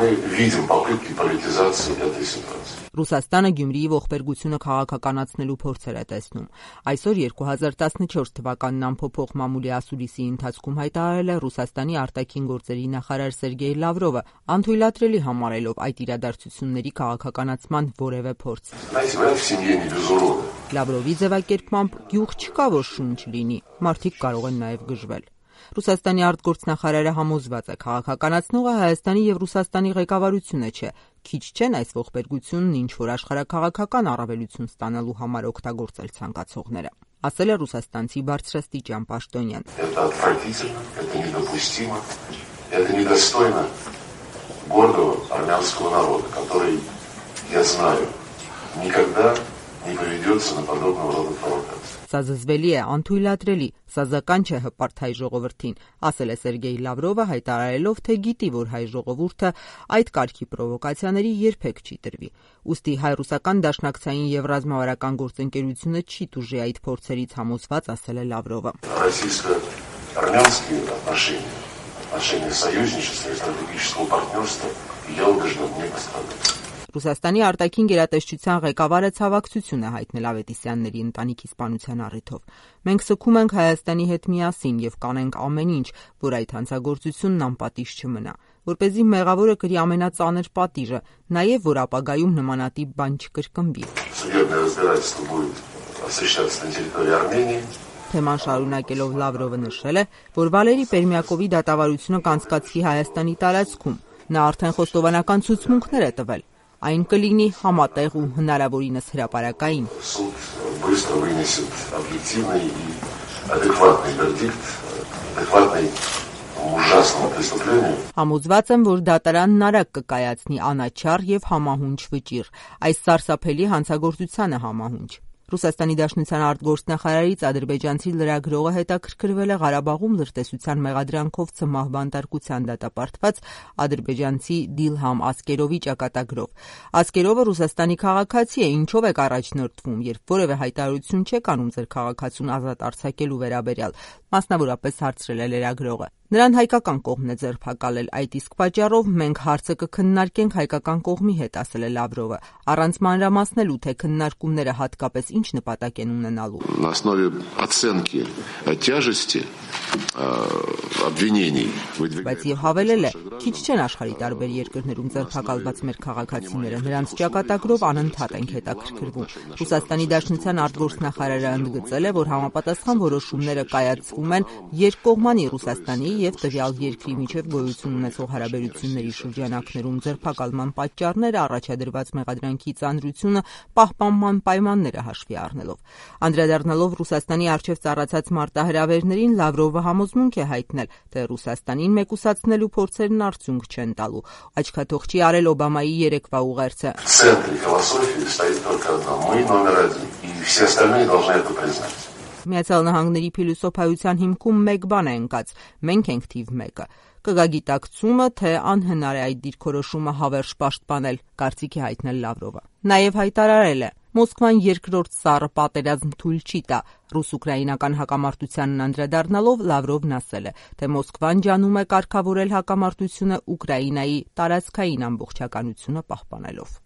мы видим попытки политизации этой ситуации. Ռուսաստանը Գյումրիի ողբերգությունը քաղաքականացնելու փորձեր է տեսնում։ Այսօր 2014 թվականին ամփոփող մամուլի ասուլիսի ընթացքում հայտարարել է Ռուսաստանի արտաքին գործերի նախարար Սերգեյ Լավրովը, անթույլատրելի համարելով այդ իրադարձությունների քաղաքականացման որևէ փորձ։ Լավրովի ձևակերպմամբ գյուղ չկա, որ շունչ լինի, մարդիկ կարող են նաև գժվել։ Ռուսաստանի արտգործնախարարը համոզված է, քաղաքականացնողը Հայաստանի եւ Ռուսաստանի ղեկավարությունը չէ, քիչ չեն այս ողբերգությունն ինչ որ աշխարհաքաղաքական առավելություն ստանալու համար օգտագործել ցանկացողները, ասել է ռուսաստանցի բարձրաստիճան պաշտոնյան։ Это недостойно гордого армянского народа, который, я знаю, никогда не поведется на подобного рода провокации. Սա զզվելի է, անթույլատրելի, սազական չէ հպարտ հայ ժողովրդին, ասել է Սերգեյ Լավրովը, հայտարարելով, թե գիտի, որ հայ ժողովուրդը այդ կարգի պրովոկացիաների երբեք չի տրվի։ Ուստի հայ-ռուսական դաշնակցային եւ ռազմավարական գործընկերությունը չի տուժի այդ փորձերից համոզված, ասել է Լավրովը։ Российско-армянские отношения союзничества и стратегического партнерства, я убежден, не пострадают. Ռուսաստանի արտաքին գերատեսչության ղեկավարը ցավակցություն է հայտնել Ավետիսյանների ընտանիքի սպանության առիթով։ Մենք սգում ենք Հայաստանի հետ միասին եւ կանենք ամեն ինչ, որ այդ հանցագործությունն անպատիժ չմնա, որպեսզի մեղավորը կրի ամենածանր պատիժը, նաեւ որ ապագայում նմանատիպ բան չկրկնվի։ Թեման շարունակելով Լավրովը նշել է, որ Վալերի Պերմյակովի դատավարությունը կանցկացվի Հայաստանի տարածքում։ Նա արդեն խոստովանական ցուցմունքներ է տվել։ Այն կլինի համատեղ ու հնարավորինս հրապարակային։ Համոզված եմ, որ դատարանն արագ կկայացնի անաչառ եւ համահունչ վճիռ, այս սարսափելի հանցագործությանը համահունչ։ Ռուսաստանի Դաշնության արտգործնախարարից ադրբեջանցի լրագրողը հետաքրքրվել է Ղարաբաղում լրտեսության մեղադրանքով ցմահ բանտարկության դատապարտված ադրբեջանցի Դիլհամ Ասկերովի ճակատագրով։ Ասկերովը Ռուսաստանի քաղաքացի է, ինչով եք առաջնորդվում, երբ որևէ հայտարարություն չեք անում ձեր քաղաքացուն ազատ արձակելու վերաբերյալ, մասնավորապես հարցրել է լրագրողը։ Նրան հայկական կողմն է ձերբակալել, այդ իսկ պատճառով մենք հարցը կքննարկենք հայկական կողմի հետ, ասել է Լավրովը, առանց մանրամասնելու, թե քննարկումները հատկապես ինչ նպատակ են ունենալու։ На основе оценки тяжести обвинений. Բայց եւ հավելել է, քիչ չեն աշխարհի տարբեր երկրներում ձերբակալված մեր քաղաքացիները, նրանց ճակատագրով անընդհատ ենք հետաքրքրվում։ Ռուսաստանի Դաշնության արտգործնախարարը ընդգծել է, որ համապատասխան որոշումները կայացվում են երկկողմանի Ռուսաստանի եւ տվյալ երկրի միջև գոյություն ունեցող հարաբերությունների շրջանակներում ձերբակալման պատճառները, առաջադրված մեղադրանքի ծանրությունը, պահպանման պայմանները հաշվի առնելով։ Անդրադառնալով Ռուսաստանի առջև ծառացած մարտահրավերներին, Լավրովը համոզմունք է հայտնել, թե Ռուսաստանին մեկուսացնելու փորձերն արդյունք չեն տալու։ Աչքաթողչի արել Օբամայի երեկվա ուղերձը։ Միացյալ Նահանգների փիլիսոփայության հիմքում մեկ բան է ընկած՝ մենք ենք թիվ 1-ը։ Կգա գիտակցումը, թե անհնար է այդ դիրքորոշումը հավերժ պաշտպանել, կարծիք է հայտնել Լավրովը։ Նաև հայտարարել է. Մոսկվան երկրորդ սառը պատերազմ թույլ չի տա։ Ռուս-ուկրաինական հակամարտությանն անդրադառնալով Լավրովն ասել է, թե Մոսկվան ջանում է կարգավորել հակամարտությունը Ուկրաինայի տարածքային ամբողջականությունը պահպանելով։